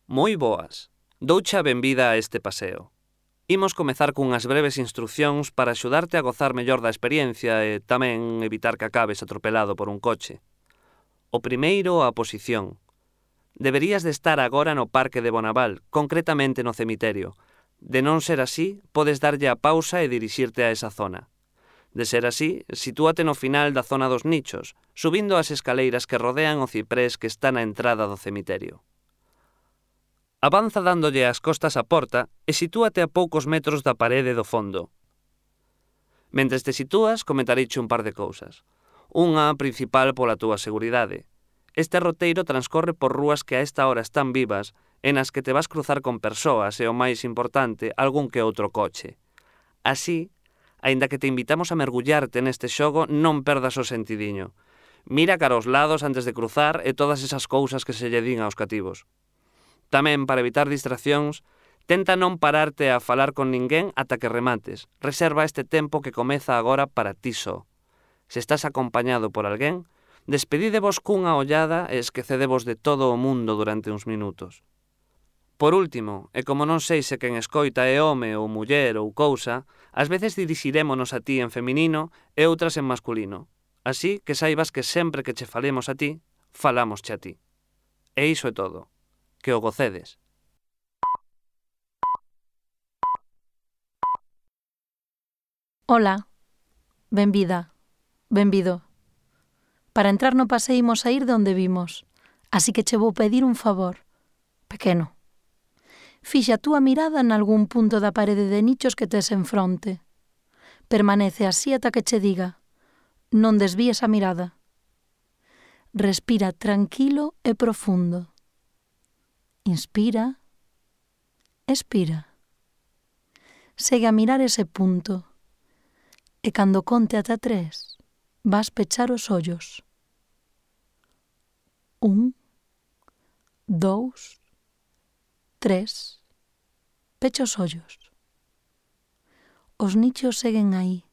Moi boas. Douche a benvida a este paseo. Imos comezar cunhas breves instruccións para axudarte a gozar mellor da experiencia e tamén evitar que acabes atropelado por un coche. O primeiro, a posición. Deberías de estar agora no Parque de Bonaval, concretamente no cemiterio. De non ser así, podes darlle a pausa e dirixirte a esa zona. De ser así, sitúate no final da zona dos nichos, subindo as escaleiras que rodean o ciprés que está na entrada do cemiterio. Avanza dándolle as costas á porta e sitúate a poucos metros da parede do fondo. Mentres te sitúas, comentareiche un par de cousas. Unha principal pola túa seguridade. Este roteiro transcorre por rúas que a esta hora están vivas e nas que te vas cruzar con persoas e, o máis importante, algún que outro coche. Así, aínda que te invitamos a mergullarte neste xogo, non perdas o sentidiño. Mira cara aos lados antes de cruzar e todas esas cousas que se lle din aos cativos. Tamén, para evitar distraccións, tenta non pararte a falar con ninguén ata que remates. Reserva este tempo que comeza agora para ti só. Se estás acompañado por alguén, despedidevos cunha ollada e esquecedevos de todo o mundo durante uns minutos. Por último, e como non sei se quen escoita é home ou muller ou cousa, ás veces dirixirémonos a ti en feminino e outras en masculino. Así que saibas que sempre que che falemos a ti, falámosche a ti. E iso é todo. Que o gocedes. Ola, benvida, benvido. Para entrar no paseo imos a ir de onde vimos, así que che vou pedir un favor, pequeno. Fixa a túa mirada nalgún punto da parede de nichos que tes en fronte. Permanece así ata que che diga. Non desvíes a mirada. Respira tranquilo e profundo. Inspira, expira. Segue a mirar ese punto e cando conte ata 3, vas pechar os ollos. 1, 2, 3. Pecha os ollos. Os nichos seguen aí,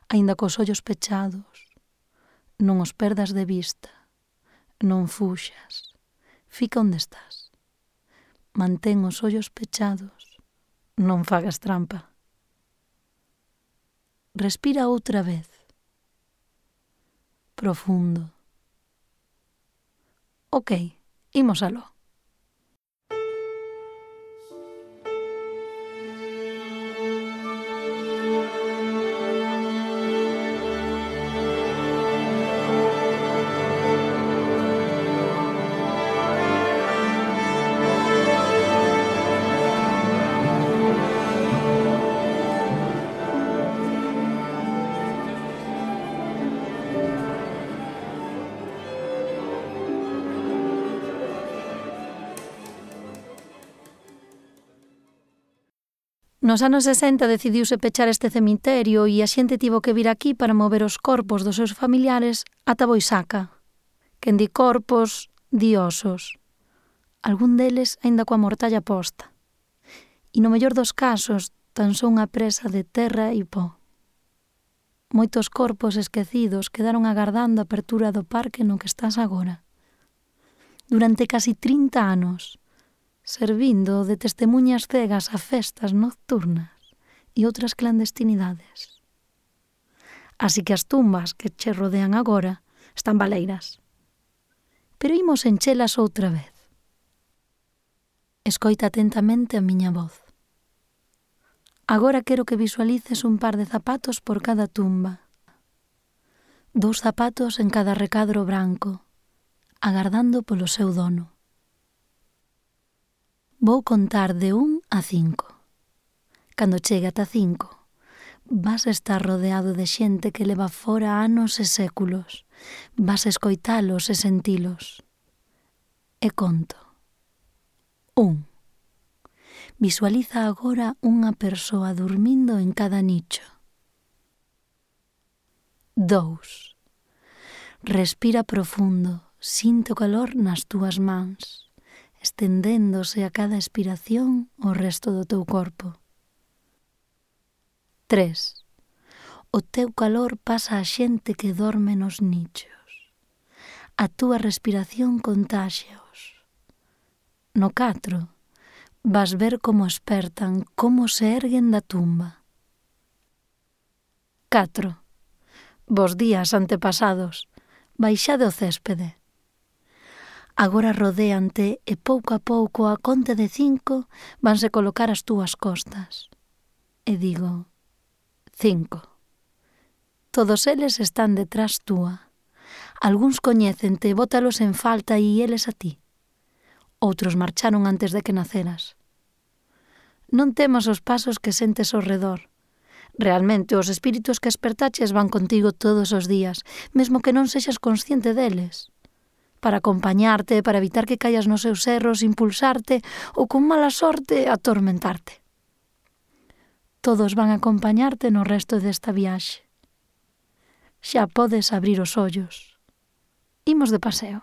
aínda cos ollos pechados. Non os perdas de vista. Non fuxas. Fica onde estás. Mantén os ollos pechados. Non fagas trampa. Respira outra vez. Profundo. Ok, imos aló. Nos anos 60 decidiuse pechar este cemiterio e a xente tivo que vir aquí para mover os corpos dos seus familiares ata Boisaca. Quen di corpos, di osos. Algún deles aínda coa mortalla posta. E no mellor dos casos, tan só unha presa de terra e pó. Moitos corpos esquecidos quedaron agardando a apertura do parque no que estás agora. Durante casi 30 anos, servindo de testemuñas cegas a festas nocturnas e outras clandestinidades. Así que as tumbas que che rodean agora están baleiras. Pero imos enchelas outra vez. Escoita atentamente a miña voz. Agora quero que visualices un par de zapatos por cada tumba. 2 zapatos en cada recadro branco, agardando polo seu dono. Vou contar de 1 a 5. Cando chegue ata 5, vas estar rodeado de xente que leva fora anos e séculos. Vas escoitalos e sentilos. E conto. 1. Visualiza agora unha persoa dormindo en cada nicho. 2. Respira profundo, sinte o calor nas túas mans, estendéndose a cada expiración o resto do teu corpo. 3. O teu calor pasa a xente que dorme nos nichos. A túa respiración contáxaos. No 4, vas ver como espertan, como se erguen da tumba. 4. Vos días antepasados, baixade o céspede. Agora rodéante e pouco a pouco a conte de 5 vanse colocar as túas costas. E digo, 5. Todos eles están detrás túa. Algúns coñécente, bótalos en falta e eles a ti. Outros marcharon antes de que naceras. Non temas os pasos que sentes ao redor. Realmente, os espíritus que espertaches van contigo todos os días, mesmo que non sexas consciente deles. Para acompañarte, para evitar que caias nos seus erros, impulsarte ou con mala sorte atormentarte. Todos van a acompañarte no resto desta viaxe. Xa podes abrir os ollos. Imos de paseo.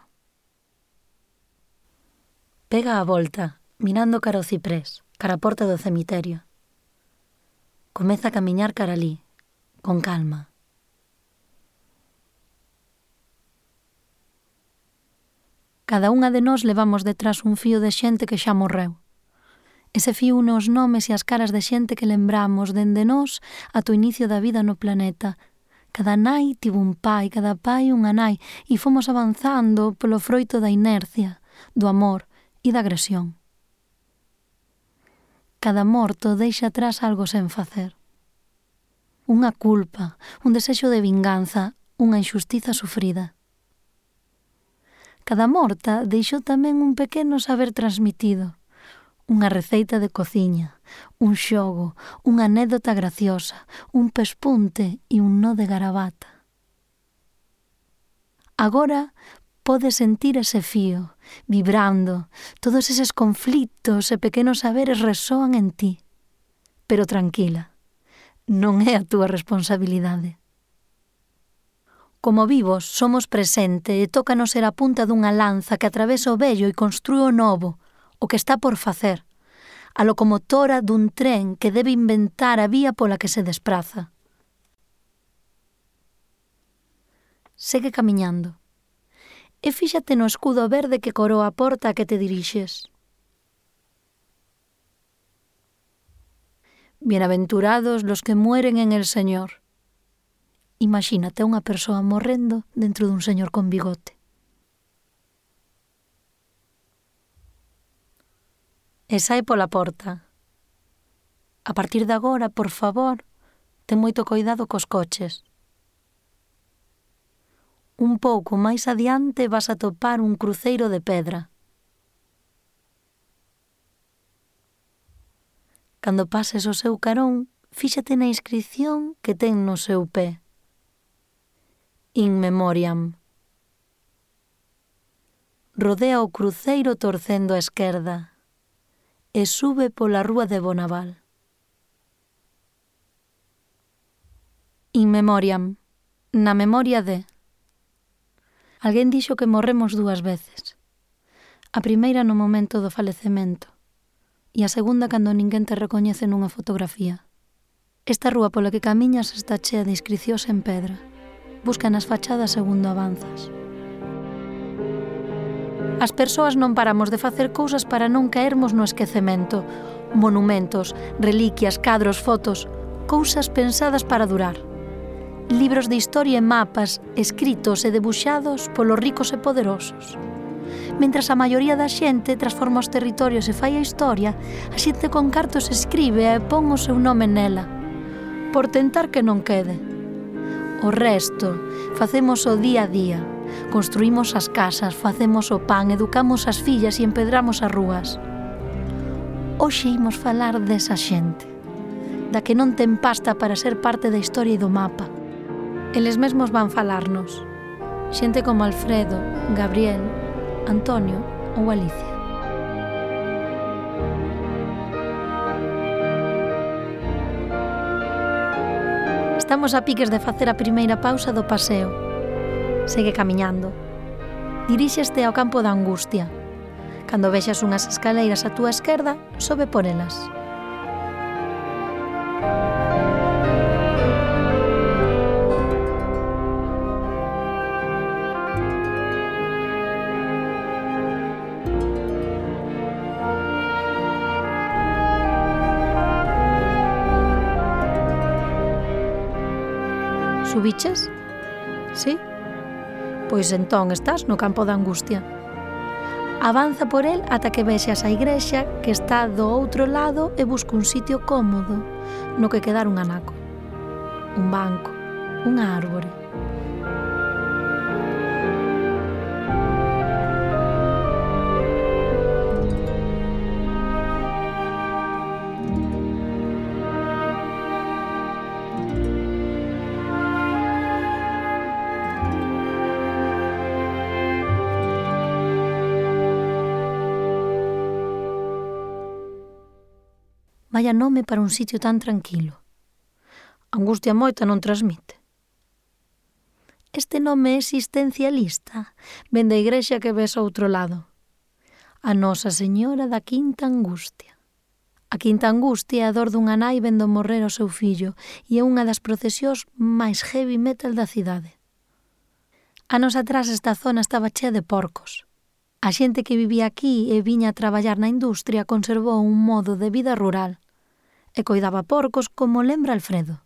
Pega a volta, mirando cara ao ciprés, cara a porta do cemiterio. Comeza a camiñar cara alí, con calma. Cada unha de nós levamos detrás un fío de xente que xa morreu. Ese fío une os nomes e as caras de xente que lembramos dende nós ata o inicio da vida no planeta. Cada nai tivo un pai, cada pai unha nai, e fomos avanzando polo froito da inercia, do amor e da agresión. Cada morto deixa atrás algo sen facer. Unha culpa, un desexo de vinganza, unha injustiza sufrida. Cada morta deixou tamén un pequeno saber transmitido, unha receita de cociña, un xogo, unha anécdota graciosa, un pespunte e un nó de garabata. Agora podes sentir ese fío, vibrando, todos eses conflitos e pequenos saberes resoan en ti. Pero tranquila, non é a túa responsabilidade. Como vivos, somos presente e tócanos ser a punta dunha lanza que atravesa o vello e construe o novo, o que está por facer, a locomotora dun tren que debe inventar a vía pola que se despraza. Segue camiñando. E fíxate no escudo verde que coroa a porta a que te dirixes. Bienaventurados los que mueren en el Señor. Imagínate unha persoa morrendo dentro dun señor con bigote. E sae pola porta. A partir de agora, por favor, ten moito coidado cos coches. Un pouco máis adiante vas a topar un cruceiro de pedra. Cando pases o seu carón, fíxate na inscrición que ten no seu pé. In memoriam. Rodea o cruceiro torcendo a esquerda e sube pola rúa de Bonaval. In memoriam. Na memoria de. Alguén dixo que morremos 2 veces. A primeira no momento do falecemento e a segunda cando ninguén te recoñece nunha fotografía. Esta rúa pola que camiñas está chea de inscricións en pedra. Busca nas fachadas segundo avanzas. As persoas non paramos de facer cousas para non caermos no esquecemento. Monumentos, reliquias, cadros, fotos, cousas pensadas para durar. Libros de historia e mapas escritos e debuxados polos ricos e poderosos. Mentras a maioría da xente transforma os territorios e fai a historia, a xente con cartos escribe e pon o seu nome nela, por tentar que non quede. O resto, facemos o día a día, construímos as casas, facemos o pan, educamos as fillas e empedramos as rúas. Hoxe imos falar desa xente, da que non ten pasta para ser parte da historia e do mapa. Eles mesmos van falarnos, xente como Alfredo, Gabriel, Antonio ou Alicia. Estamos a piques de facer a primeira pausa do paseo. Segue camiñando. Diríxeste ao campo da Angustia. Cando vexas unhas escaleiras á túa esquerda, sobe por elas. Subiches? Sí? Pois entón estás no campo da angustia. Avanza por el ata que vexas a igrexa que está do outro lado e busca un sitio cómodo no que quedar un anaco, un banco, unha árbore. Vaya nome para un sitio tan tranquilo. Angustia moita non transmite. Este nome existencialista ven da igrexa que ves ao outro lado. A Nosa Señora da Quinta Angustia. A Quinta Angustia é a dor dunha nai vendo morrer o seu fillo e é unha das procesións máis heavy metal da cidade. Anos atrás esta zona estaba chea de porcos. A xente que vivía aquí e viña a traballar na industria conservou un modo de vida rural e coidaba porcos como lembra Alfredo.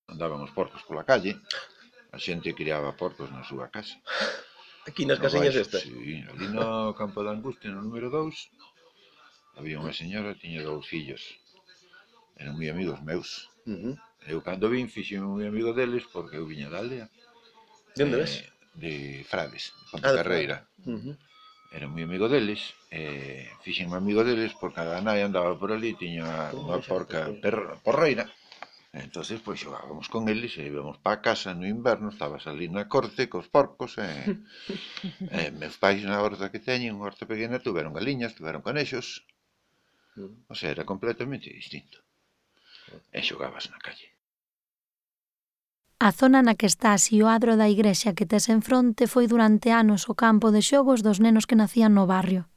Andaban os porcos pola calle, a xente criaba porcos na súa casa. Aquí nas casiñas estas? Sí, ali no campo da Angustia, no número 2, había unha señora que tiña 2 fillos. Eran moi amigos meus. Eu cando vin fixeme moi amigo deles porque eu viña da aldea. De onde ves? De Frades, de Pontecarreira. Era moi amigo deles, fixenme amigo deles porque a nai andaba por ali, tiña unha porca porreira. Entonces, pois, xogábamos con eles e íbamos para casa no inverno, estabas ali na corte cos porcos meus pais na horta que teñen, unha horta pequena, tuveron galiñas, tuveron conexos. O sea, era completamente distinto. E xogabas na calle. A zona na que está así o adro da igrexa que tes en fronte foi durante anos o campo de xogos dos nenos que nacían no barrio.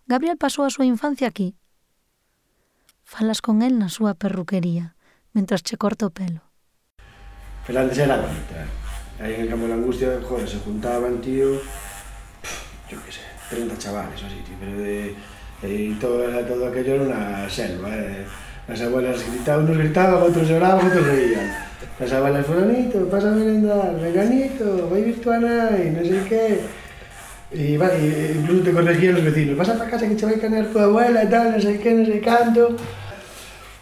Gabriel pasou a súa infancia aquí. Falas con el na súa perruquería, mentras che corta o pelo. Pero antes era bonita. Aí en el campo de la Angustia, joder, se juntaban, tío, yo qué sé, 30 chavales o así, tío, pero todo aquello era una selva, Las abuelas gritaban, unos gritaban, otros lloraban, otros reían. Las abuelas, fulanito, pasa a merendar, veganito, vai vir tu a nai, non sei que. E incluso te corregían los vecinos, vas a para casa que te vai canear tu abuela e tal, non sei que, non sei canto.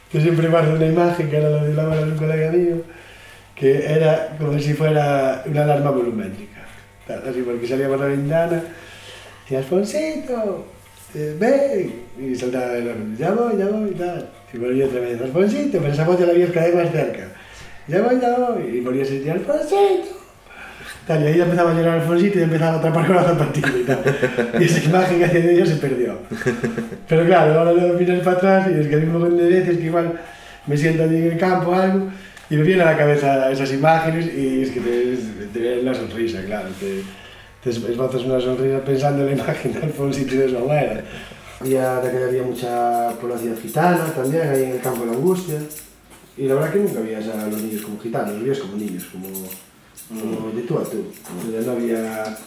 Yo siempre guardo una imagen que era la de la abuela de un colega mío, que era como si fuera una alarma volumétrica. Así, porque salíamos a la ventana y Alfonsito, ven, y saltaba el horno, ya voy, y tal. Y volvía otra vez, Alfonsito, pero esa voz ya la había cada vez más cerca. Ya voy, y volvía a decir, Alfonsito. Tal, y ahí empezaba a llorar Alfonsito y empezaba a atrapar con la zapatilla y tal. Y esa imagen que hacía de ellos se perdió. Pero claro, ahora lo miras para atrás y es que hay un montón de veces que igual me siento allí en el campo o algo y me vienen a la cabeza esas imágenes y es que te viene una sonrisa, claro. Te esbozas una sonrisa pensando en la imagen de Alfonsito y de su abuela. Había mucha población gitana también ahí en el campo de la Angustia. Y la verdad que nunca veías a los niños como gitanos, los veías como niños, como de tú a tú. Ya no había...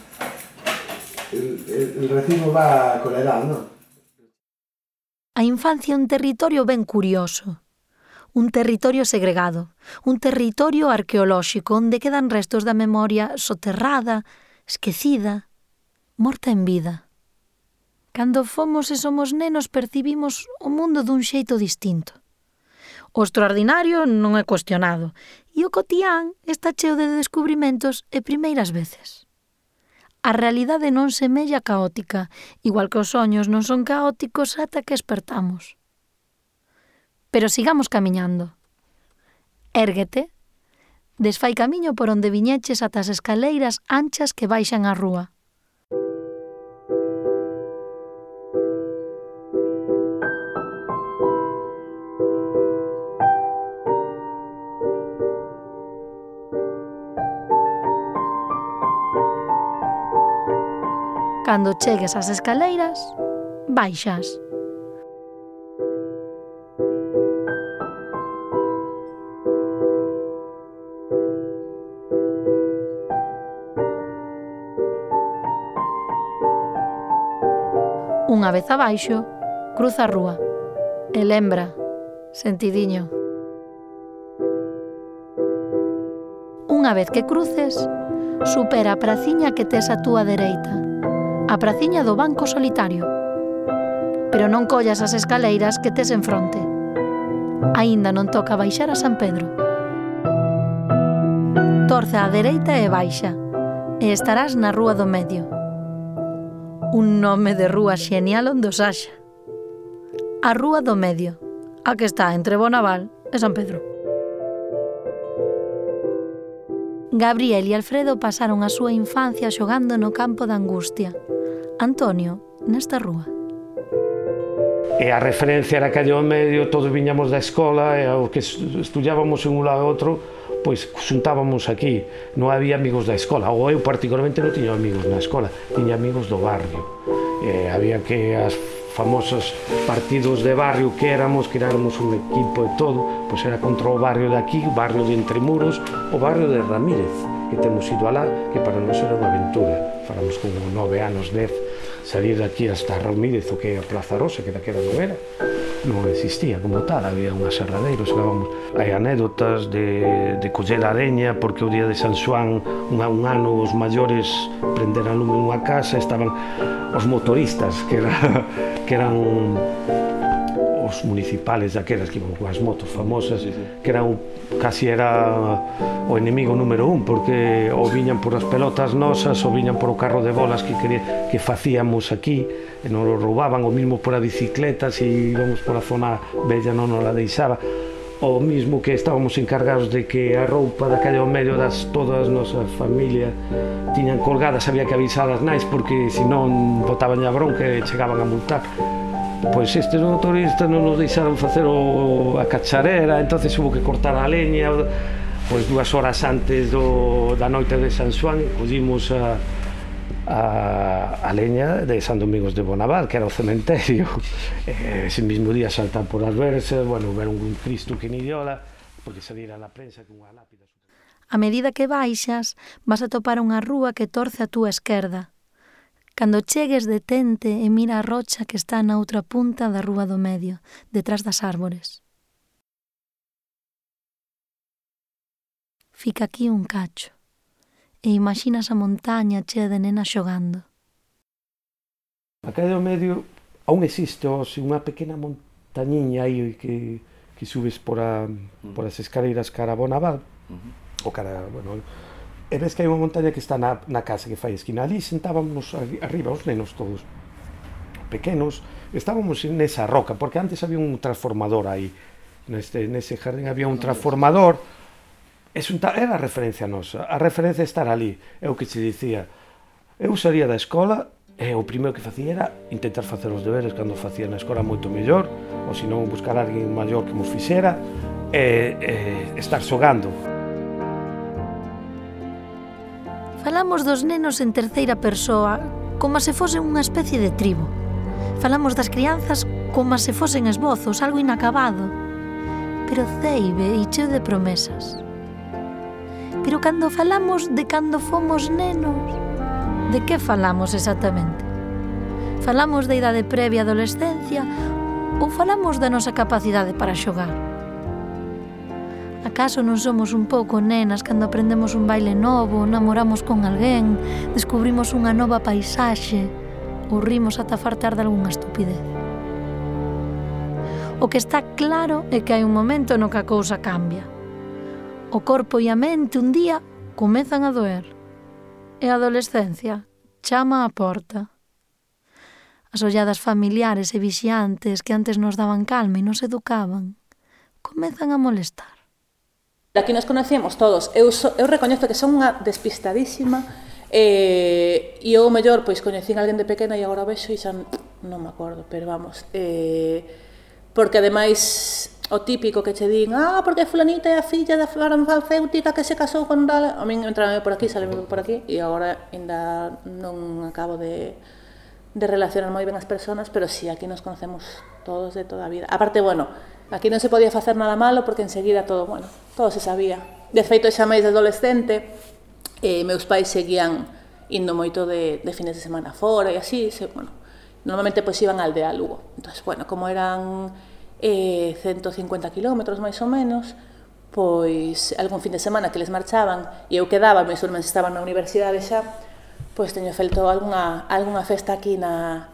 El racismo va con la edad, ¿no? A infancia é un territorio ben curioso. Un territorio segregado, un territorio arqueolóxico onde quedan restos da memoria soterrada, esquecida, morta en vida. Cando fomos e somos nenos percibimos o mundo dun xeito distinto. O extraordinario non é cuestionado e o cotián está cheo de descubrimentos e primeiras veces. A realidade non semella caótica, igual que os soños non son caóticos ata que espertamos. Pero sigamos camiñando. Érguete, desfai camiño por onde viñeches ata as escaleiras anchas que baixan á rúa. Cando chegues ás escaleiras, baixas. Unha vez abaixo, cruza a rúa e lembra, sentidiño. Unha vez que cruces, supera a praciña que tes a túa dereita, a praciña do Banco Solitario. Pero non collas as escaleiras que tes en fronte. Aínda non toca baixar a San Pedro. Torce á dereita e baixa, e estarás na Rúa do Medio. Un nome de rúa xenial onde os haxa. A Rúa do Medio, a que está entre Bonaval e San Pedro. Gabriel e Alfredo pasaron a súa infancia xogando no campo da Angustia. Antonio, nesta rúa. E a referencia era calle ao medio, todos viñamos da escola e o que estudiábamos en un lado e outro, pois xuntábamos aquí. Non había amigos da escola, ou eu particularmente non tiña amigos na escola, tiña amigos do barrio. Había que as famosos partidos de barrio que éramos un equipo e todo, pois era contra o barrio de aquí, o barrio de Entremuros, o barrio de Ramírez, que temos ido alá, que para nós era unha aventura. Falamos con 9 anos, 10, salir de aquí hasta Ramírez, o que é a Plaza Rosa, que daquela non era, non existía como tal, había un aserradeiro, chegábamos. Hai anécdotas de coller a leña, porque o día de San Xoán, un ano, os maiores prenderan lume nunha casa, estaban os motoristas, que eran os municipales daquelas que iban coas motos famosas, que eran casi era o enemigo número 1, porque ou viñan por as pelotas nosas ou viñan por o carro de bolas que facíamos aquí e non lo roubaban, o mismo por a bicicleta, se íbamos por a zona bella non nos la deixaba, o mismo que estábamos encargados de que a roupa da calle ao medio das todas as nosas familias tiñan colgadas, había que avisar as nais porque senón botaban a bronca e chegaban a multar. Pois estes motoristas non nos deixaron facer a cacharera, entonces hubo que cortar a leña. Pois 2 horas antes da noite de San Xoán collimos a leña de San Domingos de Bonaval, que era o cementerio. Ese mismo día saltar por as versas, bueno, ver un Cristo que ni diola, porque salira na prensa con unha lápida. A medida que baixas, vas a topar unha rúa que torce a túa esquerda. Cando chegues, detente e mira a rocha que está na outra punta da Rúa do Medio, detrás das árbores. Fica aquí un cacho e imaxinas a montaña chea de nenas xogando. A calle do Medio aún existe unha pequena montañiña aí que subes por as escaleiras cara a Bonaval, ou cara, bueno, e ves que hai unha montaña que está na casa que fai esquina. Ali sentábamos arriba, os nenos todos pequenos, estábamos nesa roca, porque antes había un transformador aí, nese jardín había un transformador, era a referencia nosa, a referencia estar ali, é o que se dicía. Eu salía da escola e o primeiro que facía era intentar facer os deberes cando facía na escola moito mellor, ou senón buscar a alguén maior que nos fixera, e estar xogando. Falamos dos nenos en terceira persoa, como se fosen unha especie de tribo. Falamos das crianzas como se fosen esbozos, algo inacabado, pero ceibe e cheo de promesas. Pero cando falamos de cando fomos nenos, de que falamos exactamente? Falamos da idade previa á adolescencia ou falamos da nosa capacidade para xogar? Acaso non somos un pouco nenas cando aprendemos un baile novo, namoramos con alguén, descubrimos unha nova paisaxe ou rimos ata fartar de algunha estupidez? O que está claro é que hai un momento no que a cousa cambia. O corpo e a mente un día comezan a doer e a adolescencia chama á porta. As olladas familiares e vixiantes que antes nos daban calma e nos educaban comezan a molestar. Aquí nos conocemos todos. Eu recoñezo que son unha despistadísima e eu mellor pois coñecín a alguén de pequena e agora vexo e xa non me acordo, pero vamos, porque ademais o típico que che din, porque fulanita é a filla da farmacéutica que se casou con tal, a min entrame por aquí, saleme por aquí e agora ainda non acabo de relacionar moi ben as persoas, pero sí, aquí nos conocemos todos de toda a vida. Aparte, bueno, aquí non se podía facer nada malo porque enseguida todo se sabía. De feito, xa máis de adolescente, meus pais seguían indo moito de fines de semana fora e así, normalmente pois iban á aldea Lugo. Entón, como eran 150 kilómetros máis ou menos, pois algún fin de semana que les marchaban e eu quedaba, meus irmáns estaban na universidade xa, pois teño feito algunha festa aquí na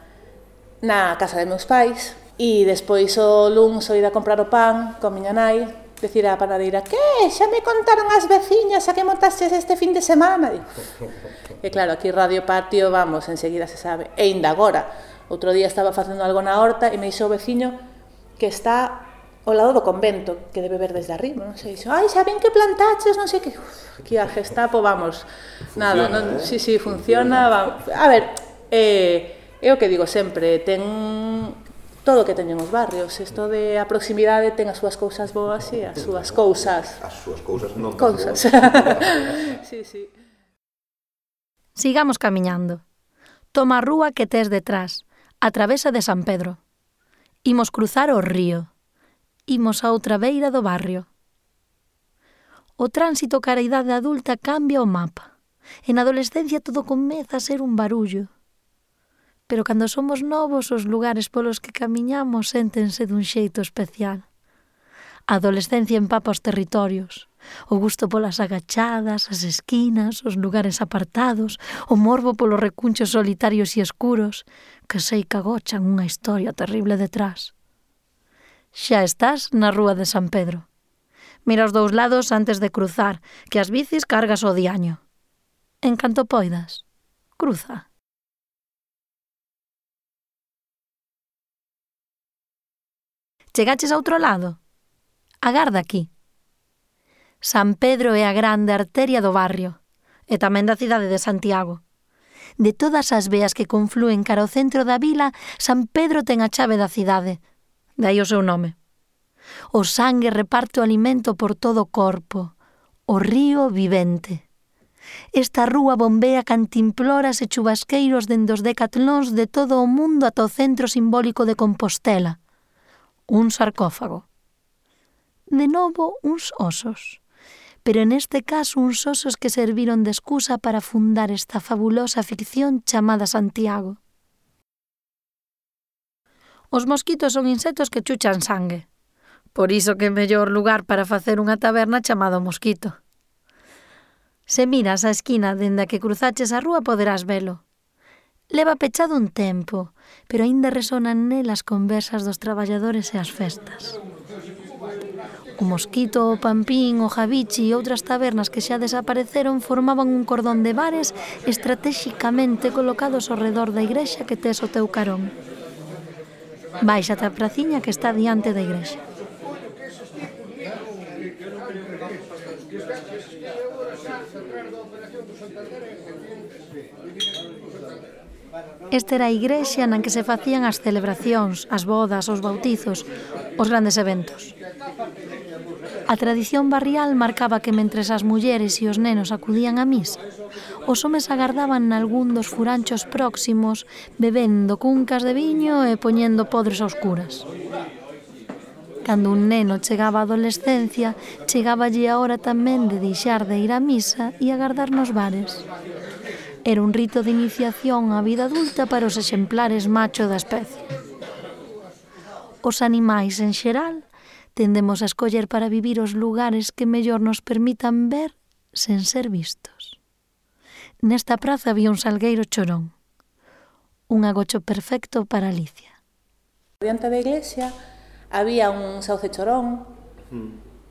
casa de meus pais e despois o luns o ir a comprar o pan con miña nai, decir á panadeira, que? Xa me contaron as veciñas a que montastes este fin de semana? E claro, aquí Radio Patio, vamos, enseguida se sabe. E ainda agora, outro día estaba facendo algo na horta e me dixo o veciño que está ao lado do convento, que debe ver desde arriba, non sei, dixo, ai, xa ven que plantaches, non sei que, aquí a Gestapo, vamos, nada, non, sí, funciona, vamos. A ver, é o que digo sempre, ten todo o que teñen os barrios, isto de a proximidade ten as súas cousas boas e as súas cousas. As súas cousas non cousas. Sí. Sigamos camiñando. Toma a rúa que tes detrás, a travesa de San Pedro. Imos cruzar o río. Imos a outra beira do barrio. O tránsito cara a idade adulta cambia o mapa. En adolescencia todo comeza a ser un barullo. Pero cando somos novos, os lugares polos que camiñamos séntense dun xeito especial. A adolescencia empapa os territorios. O gusto polas agachadas, as esquinas, os lugares apartados, o morbo polos recunchos solitarios e escuros, que sei que agochan unha historia terrible detrás. Xa estás na rúa de San Pedro. Mira os dous lados antes de cruzar, que as bicis cargas o diaño. En canto poidas, cruza. Chegaches a outro lado? Agarda aquí. San Pedro é a grande arteria do barrio, e tamén da cidade de Santiago. De todas as veas que conflúen cara ao centro da vila, San Pedro ten a chave da cidade, dai o seu nome. O sangue reparte o alimento por todo o corpo, o río vivente. Esta rúa bombea cantimploras e chubasqueiros dende os decatlóns de todo o mundo ata o centro simbólico de Compostela. Un sarcófago. De novo, uns osos. Pero neste caso uns osos que serviron de excusa para fundar esta fabulosa ficción chamada Santiago. Os mosquitos son insectos que chuchan sangue. Por iso que é mellor lugar para facer unha taberna chamada Mosquito. Se miras a esquina dende a que cruzaches a rúa poderás velo. Leva pechado un tempo, pero aínda resonan nel as conversas dos traballadores e as festas. O Mosquito, o Pampín, o Javichi e outras tabernas que xa desapareceron formaban un cordón de bares estratexicamente colocados ao redor da igrexa que tes o teu carón. Baixa a praciña que está diante da igrexa. Esta era a igrexa na que se facían as celebracións, as bodas, os bautizos, os grandes eventos. A tradición barrial marcaba que mentres as mulleres e os nenos acudían á misa, os homes agardaban nalgún dos furanchos próximos, bebendo cuncas de viño e poñendo podres aos curas. Cando un neno chegaba á adolescencia, chegáballe a hora tamén de deixar de ir á misa e agardar nos bares. Era un rito de iniciación á vida adulta para os exemplares macho da especie. Os animais, en xeral, tendemos a escoller para vivir os lugares que mellor nos permitan ver sen ser vistos. Nesta praza había un salgueiro chorón, un agocho perfecto para Alicia. Diante da iglesia había un sauce chorón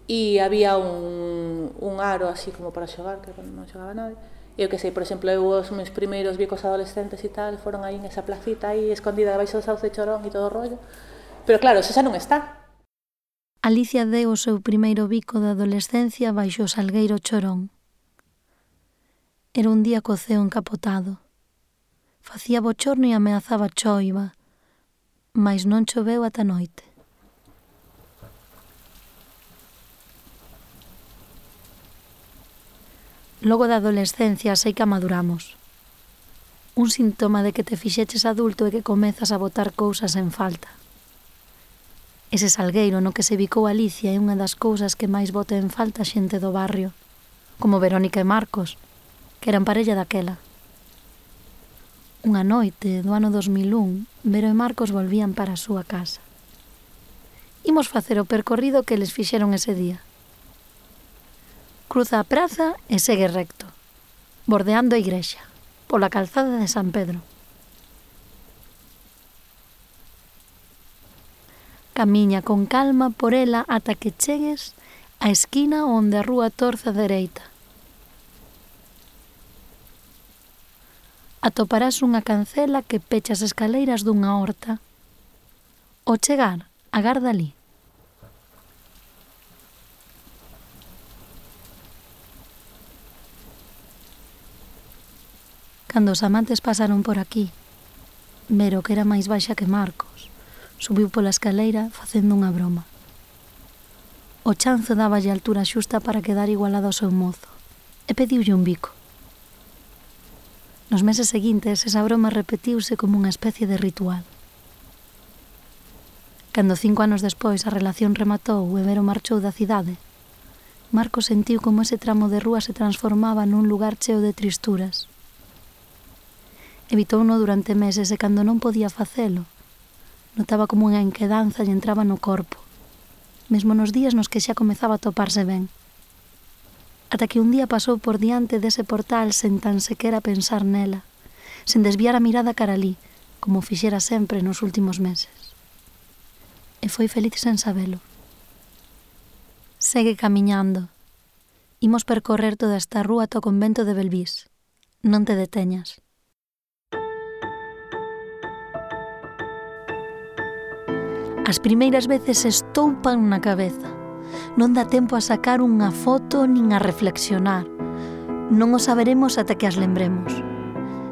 e había un aro así como para xogar, que non xogaba nadie. Eu que sei, por exemplo, os meus primeiros bicos adolescentes e tal foron aí nesa placita aí escondida debaixo do sauce chorón e todo o rollo. Pero claro, eso xa non está. Alicia deu o seu primeiro bico da adolescencia baixo o salgueiro chorón. Era un día co ceo encapotado. Facía bochorno e ameazaba choiva, mais non choveu ata noite. Logo da adolescencia sei que amaduramos. Un síntoma de que te fixeches adulto é que comezas a botar cousas en falta. Ese salgueiro no que se bicou Alicia é unha das cousas que máis bota en falta a xente do barrio, como Verónica e Marcos, que eran parella daquela. Unha noite do ano 2001, Vero e Marcos volvían para a súa casa. Imos facer o percorrido que les fixeron ese día. Cruza a praza e segue recto, bordeando a igrexa, pola calzada de San Pedro. Camiña con calma por ela ata que chegues á esquina onde a rúa torce á dereita. Atoparás unha cancela que pecha as escaleiras dunha horta. Ao chegar, agarda ali. Cando os amantes pasaron por aquí, Vero, que era máis baixa que Marcos, subiu pola escaleira facendo unha broma. O chanzo dáballe a altura xusta para quedar igualado ao seu mozo e pediulle un bico. Nos meses seguintes, esa broma repetiuse como unha especie de ritual. Cando 5 anos despois a relación rematou e Vero marchou da cidade, Marcos sentiu como ese tramo de rúa se transformaba nun lugar cheo de tristuras. Evitouno durante meses e cando non podía facelo, notaba como unha inquedanza lle entraba no corpo, mesmo nos días nos que xa comezaba a toparse ben. Ata que un día pasou por diante dese portal sen tan sequera pensar nela, sen desviar a mirada cara alí, como fixera sempre nos últimos meses. E foi feliz sen sabelo. Segue camiñando. Imos percorrer toda esta rúa ata o convento de Belvís. Non te deteñas. As primeiras veces estoupan na cabeza. Non dá tempo a sacar unha foto nin a reflexionar. Non o saberemos ata que as lembremos.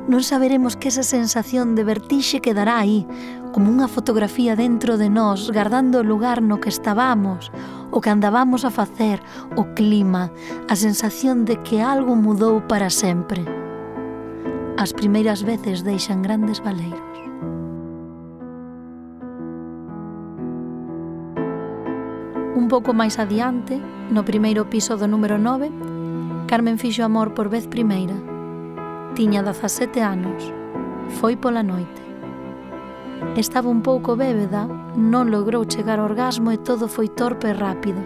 Non saberemos que esa sensación de vertixe quedará aí, como unha fotografía dentro de nós, guardando o lugar no que estábamos, o que andábamos a facer, o clima, a sensación de que algo mudou para sempre. As primeiras veces deixan grandes baleiros. Un pouco máis adiante, no primeiro piso do número 9, Carmen fixo amor por vez primeira. Tiña 17 anos. Foi pola noite. Estaba un pouco bébeda, non logrou chegar ao orgasmo e todo foi torpe e rápido.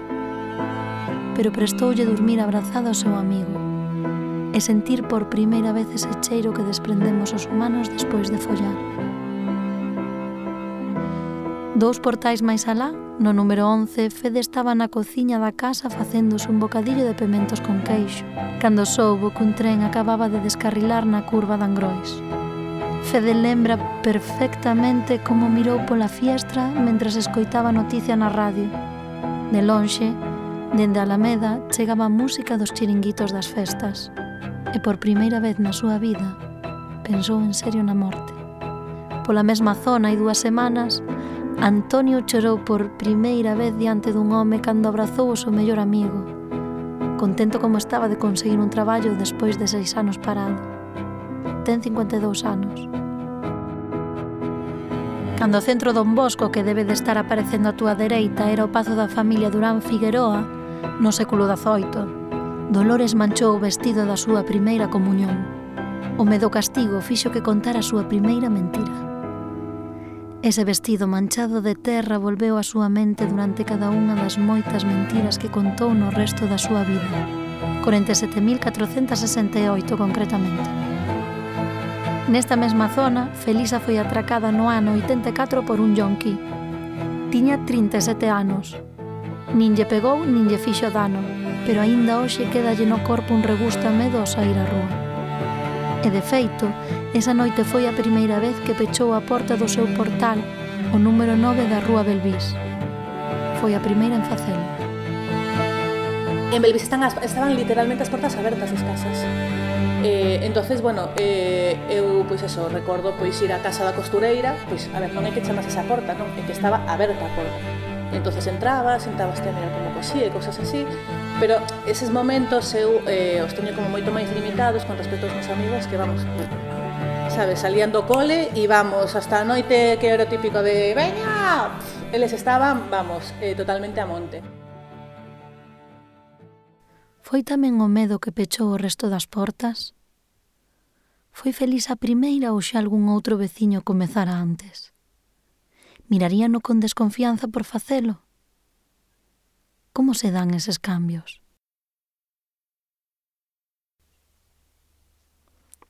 Pero prestoulle dormir abrazada ao seu amigo e sentir por primeira vez ese cheiro que desprendemos os humanos despois de follar. 2 portais máis alá, no número 11, Fede estaba na cociña da casa facéndose un bocadillo de pementos con queixo, cando soubo que un tren acababa de descarrilar na curva de Angrois. Fede lembra perfectamente como mirou pola fiestra mentres escoitaba a noticia na radio. De lonxe, dende a Alameda, chegaba a música dos chiringuitos das festas. E por primeira vez na súa vida, pensou en serio na morte. Pola mesma zona e 2 semanas, Antonio chorou por primeira vez diante dun home cando abrazou o seu mellor amigo, contento como estaba de conseguir un traballo despois de 6 anos parado. Ten 52 anos. Cando o centro Don Bosco, que debe de estar aparecendo á túa dereita, era o pazo da familia Durán Figueroa, no século XVIII, Dolores manchou o vestido da súa primeira comunión. O medo castigo fixo que contara a súa primeira mentira. Ese vestido manchado de terra volveu á súa mente durante cada unha das moitas mentiras que contou no resto da súa vida, 47.468 concretamente. Nesta mesma zona, Felisa foi atracada no ano 84 por un yonqui. Tiña 37 anos. Nin lle pegou nin lle fixo dano, pero aínda hoxe quédalle no corpo un regusto a medo ao saír á rúa. E de feito, esa noite foi a primeira vez que pechou a porta do seu portal, o número 9 da rúa Belvís. Foi a primeira en facelo. En Belvís estaban literalmente as portas abertas das casas. Entonces, bueno, eu, pois eso, recordo pois ir á casa da costureira, pois, a ver, non é que chamase esa porta, non, é que estaba aberta a porta. Entonces entrabas a mirar como cosía e cosas así, pero eses momentos eu os teño como moito máis limitados con respecto aos meus amigos que, vamos, sabes, salían do cole e vamos hasta a noite, que era o típico de veña, eles estaban, vamos, totalmente a monte. Foi tamén o medo que pechou o resto das portas? Foi feliz a primeira ou xa algún outro veciño comezara antes? Miraríano con desconfianza por facelo? Como se dan eses cambios?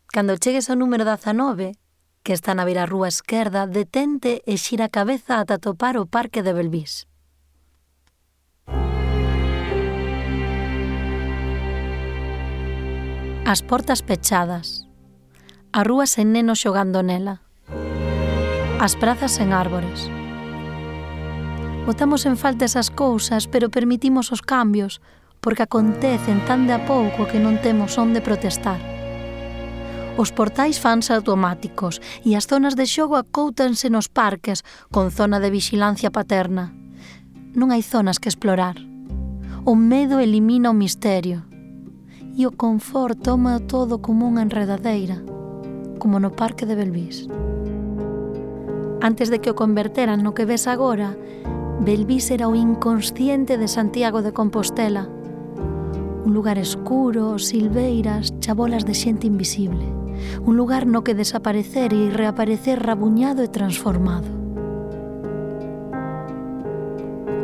Cando chegues ao número 19, que está na beirarrúa esquerda, detente e xira a cabeza ata topar o Parque de Belvís. As portas pechadas, a rúa sen nenos xogando nela, as prazas sen árbores. Botamos en falta esas cousas, pero permitimos os cambios, porque acontecen tan de a pouco que non temos onde protestar. Os portais fanse automáticos e as zonas de xogo acóutanse nos parques con zona de vixilancia paterna. Non hai zonas que explorar. O medo elimina o misterio e o confort toma todo como unha enredadeira, como no Parque de Belvís. Antes de que o converteran no que ves agora, Belvís era o inconsciente de Santiago de Compostela. Un lugar escuro, silveiras, chabolas de xente invisible. Un lugar no que desaparecer e reaparecer rabuñado e transformado.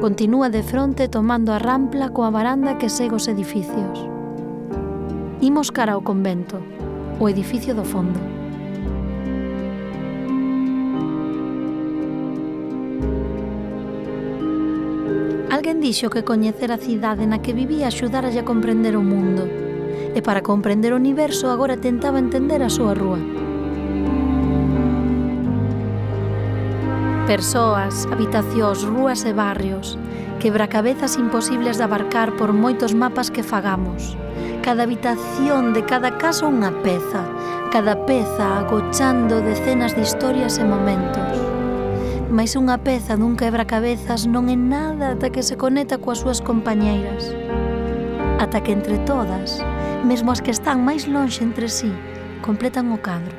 Continúa de fronte tomando a rampla coa varanda que segue os edificios. Imos cara ao convento, o edificio do fondo. Alguén dixo que coñecer a cidade na que vivía axudaralle a comprender o mundo. E para comprender o universo agora tentaba entender a súa rúa. Persoas, habitacións, rúas e barrios, quebracabezas imposibles de abarcar por moitos mapas que fagamos. Cada habitación de cada casa unha peza, cada peza agochando decenas de historias e momentos. Mais unha peza dun quebracabezas non é nada ata que se conecta coas súas compañeiras. Ata que entre todas, mesmo as que están máis lonxe entre sí, completan o cadro.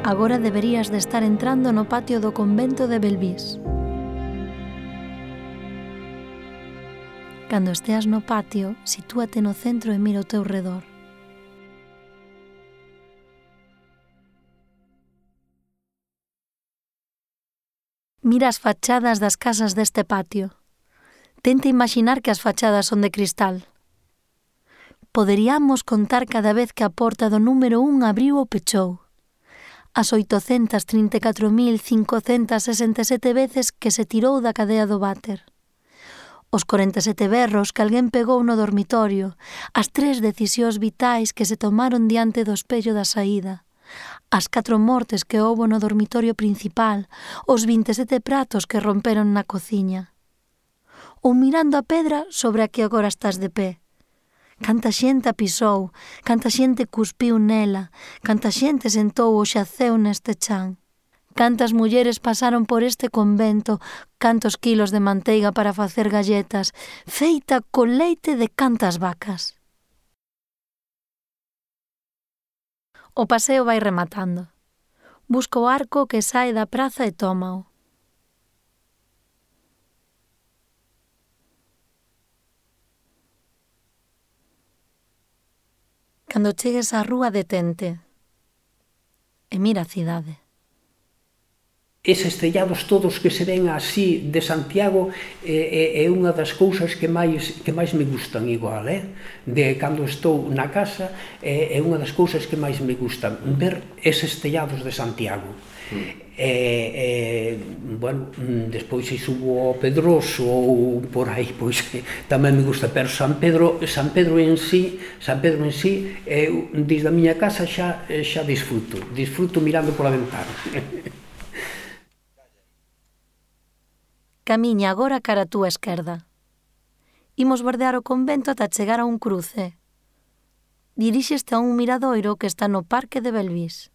Agora deberías de estar entrando no patio do convento de Belvís. Cando esteas no patio, sitúate no centro e mira ao teu redor. Mira as fachadas das casas deste patio. Tenta imaginar que as fachadas son de cristal. Poderíamos contar cada vez que a porta do número 1 abriu ou pechou. As 834.567 veces que se tirou da cadea do váter. Os 47 berros que alguén pegou no dormitorio. As 3 decisións vitais que se tomaron diante do espello da saída. As 4 mortes que houbo no dormitorio principal, os 27 pratos que romperon na cociña. Ou mirando a pedra sobre a que agora estás de pé. Canta xente a pisou, canta xente cuspiu nela, canta xente sentou ou xaceu neste chan. Cantas mulleres pasaron por este convento, cantos quilos de manteiga para facer galletas, feita con leite de cantas vacas. O paseo vai rematando. Busca o arco que sae da praza e tómao. Cando chegues á rúa, detente e mira a cidade. Eses tellados todos que se ven así de Santiago é unha das cousas que máis me gustan igual, de cando estou na casa, é unha das cousas que máis me gustan, ver eses tellados de Santiago. Bueno, despois se subo ao Pedroso ou por aí, pois tamén me gusta, pero San Pedro en sí, desde a miña casa xa disfruto mirando pola ventana. Camiña agora cara a túa esquerda. Imos bordear o convento ata chegar a un cruce. Diríxeste a un miradoiro que está no Parque de Belvís.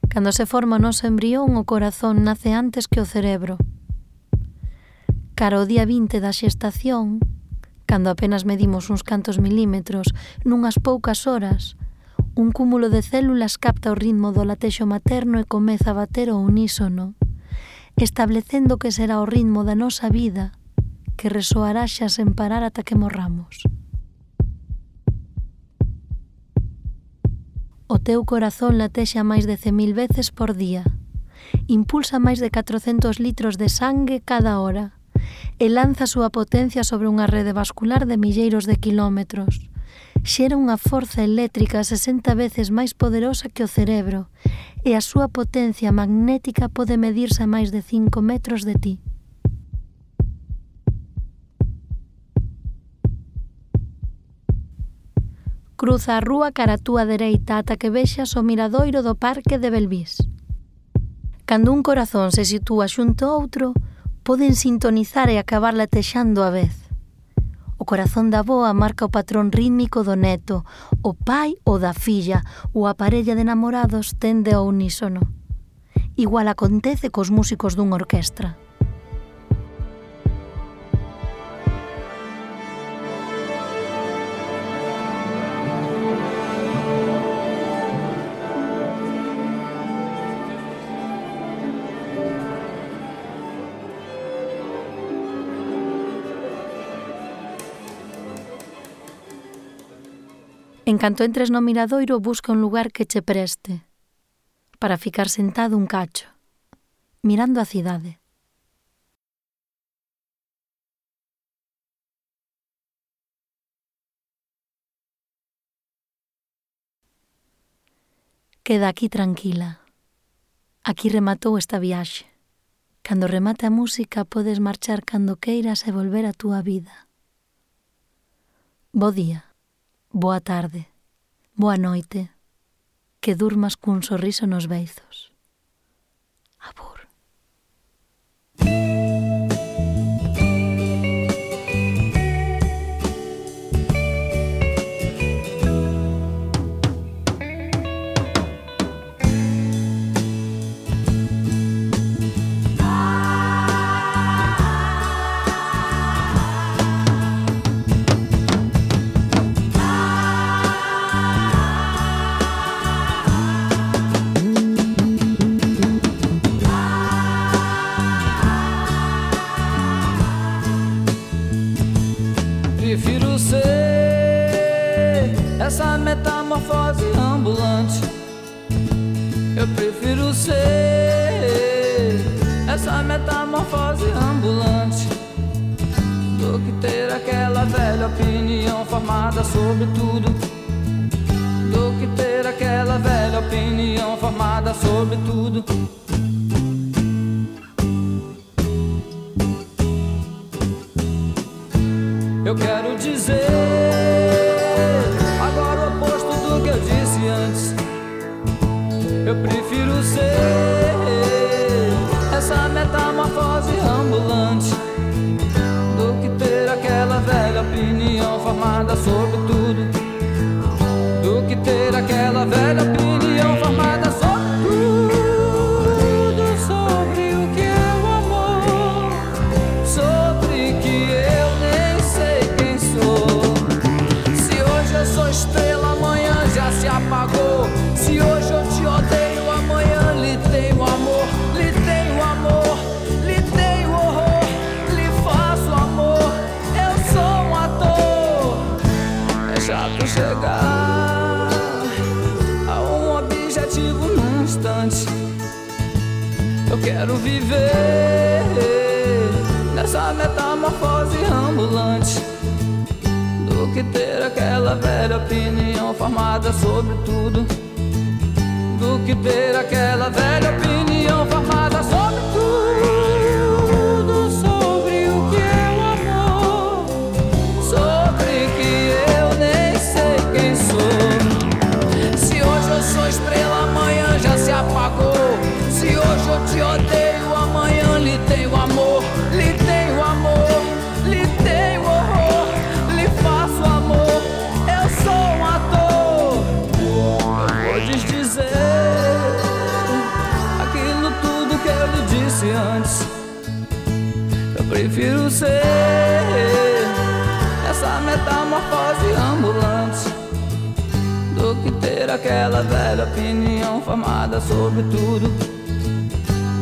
Cando se forma o noso embrión, o corazón nace antes que o cerebro. Cara ao día 20 da xestación, cando apenas medimos uns cantos milímetros, nunhas poucas horas, un cúmulo de células capta o ritmo do latexo materno e comeza a bater ao unísono, establecendo que será o ritmo da nosa vida, que resoará xa sen parar ata que morramos. O teu corazón latexa máis de 100.000 veces por día. Impulsa máis de 400 litros de sangue cada hora e lanza a súa potencia sobre unha rede vascular de milleiros de quilómetros. Xera unha forza eléctrica 60 veces máis poderosa que o cerebro e a súa potencia magnética pode medirse a máis de 5 metros de ti. Cruza a rúa cara a túa dereita ata que vexas o miradoiro do Parque de Belvís. Cando un corazón se sitúa xunto a outro, poden sintonizar e acabar latexando a vez. O corazón da avoa marca o patrón rítmico do neto, o pai o da filla, ou a parella de namorados tende ao unísono. Igual acontece cos músicos dunha orquestra. En canto entres no miradoiro, busca un lugar que che preste para ficar sentado un cacho, mirando a cidade. Queda aquí tranquila. Aquí rematou esta viaxe. Cando remate a música, podes marchar cando queiras e volver á túa vida. Bo día. Boa tarde, boa noite, que durmas cun sorriso nos beizos. Abur. Prefiro ser essa metamorfose ambulante. Eu prefiro ser essa metamorfose ambulante do que ter aquela velha opinião formada sobre tudo. Do que ter aquela velha opinião formada sobre tudo. Eu quero dizer agora o oposto do que eu disse antes. Eu prefiro ser essa metamorfose ambulante do que ter aquela velha opinião formada sobre tudo. Do que ter aquela velha opinião formada sobre tudo. Sobre o que é o amor, sobre que eu nem sei quem sou. Se hoje eu sou estrela, amanhã já se apagou. Se hoje eu te odeio, amanhã lhe tenho amor. Lhe tenho amor, lhe tenho horror, lhe faço amor. Eu sou um ator. É chato chegar a um objetivo num instante. Eu quero viver nessa metamorfose ambulante do que ter aquela velha opinião formada sobre tudo. Do que ter aquela velha opinião formada sobre tudo. Sobre o que é o amor, sobre que eu nem sei quem sou. Se hoje eu sou estrela, amanhã já se apagou. Se hoje eu te odeio, amanhã lhe tenho amor. Lhe tenho amor, lhe tenho horror, lhe faço amor. Eu sou um ator. Podes dizer aquilo tudo que eu lhe disse antes. Eu prefiro ser essa metamorfose ambulante do que ter aquela velha opinião formada sobre tudo.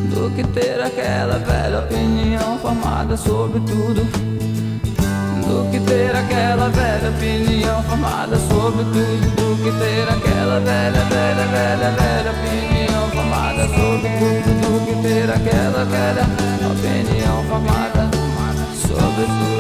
Do que ter aquela velha opinião formada sobre tudo. do que ter aquela velha opinião formada sobre tudo, do que ter aquela velha opinião formada sobre tudo, do que ter aquela velha opinião formada sobre tudo.